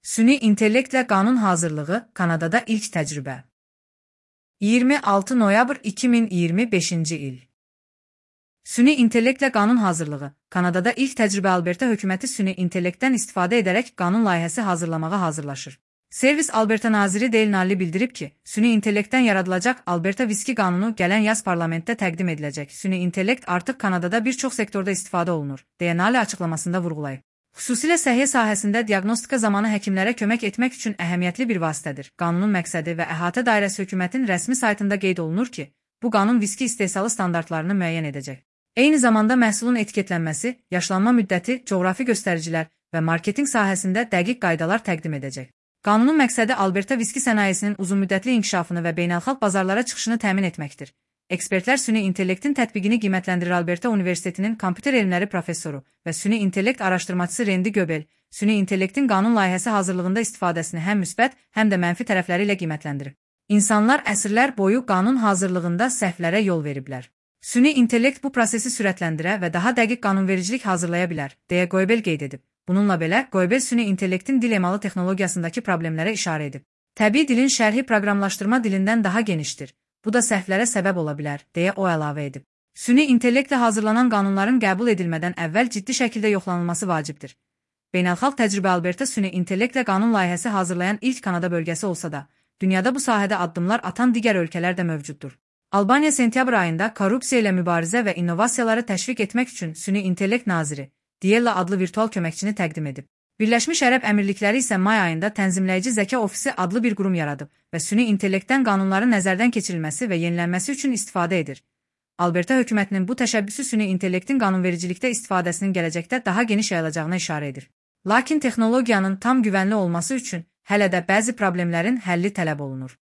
Süni intellektlə qanun hazırlığı Kanadada ilk təcrübə. 26 noyabr 2025-ci il. Süni intellektlə qanun hazırlığı Kanadada ilk təcrübə. Alberta hökuməti süni intellektdən istifadə edərək qanun layihəsi hazırlamağa hazırlaşır. Servis Alberta naziri Dale Nally bildirib ki, süni intellektdən yaradılacaq Alberta viski qanunu gələn yaz parlamentdə təqdim ediləcək. Süni intellekt artıq Kanadada bir çox sektorda istifadə olunur, deyə Nally açıqlamasında vurğulayıb. Xüsusilə səhiyyə sahəsində diaqnostika zamanı həkimlərə kömək etmək üçün əhəmiyyətli bir vasitədir. Qanunun məqsədi və əhatə dairəsi hökumətin rəsmi saytında qeyd olunur ki, bu qanun viski istehsalı standartlarını müəyyən edəcək. Eyni zamanda məhsulun etiketlənməsi, yaşlanma müddəti, coğrafi göstəricilər və marketinq sahəsində dəqiq qaydalar təqdim edəcək. Qanunun məqsədi Alberta viski sənayesinin uzunmüddətli inkişafını və beynəlxalq bazarlara çıxışını təmin etməkdir. Ekspertlər süni intellektin tətbiqini qiymətləndirir. Alberta Universitetinin kompüter elmləri professoru və süni intellekt araşdırmacısı Randy Göbel, süni intellektin qanun layihəsi hazırlığında istifadəsini həm müsbət, həm də mənfi tərəfləri ilə qiymətləndirir. İnsanlar əsrlər boyu qanun hazırlığında səhvlərə yol veriblər. Süni intellekt bu prosesi sürətləndirə və daha dəqiq qanunvericilik hazırlaya bilər, deyə Göbel qeyd edib. Bununla belə, Göbel süni intellektin dil emalı texnologiyasındakı problemlərə işarə edib. Təbii dilin şərhi proqramlaşdırma dilindən daha genişdir. Bu da səhvlərə səbəb ola bilər, deyə o əlavə edib. Süni intellektlə hazırlanan qanunların qəbul edilmədən əvvəl ciddi şəkildə yoxlanılması vacibdir. Beynəlxalq təcrübə. Alberta süni intellektlə qanun layihəsi hazırlayan ilk Kanada bölgəsi olsa da, dünyada bu sahədə addımlar atan digər ölkələr də mövcuddur. Albaniya sentyabr ayında korrupsiya ilə mübarizə və innovasiyaları təşviq etmək üçün süni intellekt naziri Diella adlı virtual köməkçini təqdim edib. Birləşmiş Ərəb Əmirlikləri isə may ayında tənzimləyici zəka ofisi adlı bir qurum yaradıb və süni intellektdən qanunların nəzərdən keçirilməsi və yenilənməsi üçün istifadə edir. Alberta hökumətinin bu təşəbbüsü süni intellektin qanunvericilikdə istifadəsinin gələcəkdə daha geniş yayılacağına işarə edir. Lakin texnologiyanın tam güvənli olması üçün hələ də bəzi problemlərin həlli tələb olunur.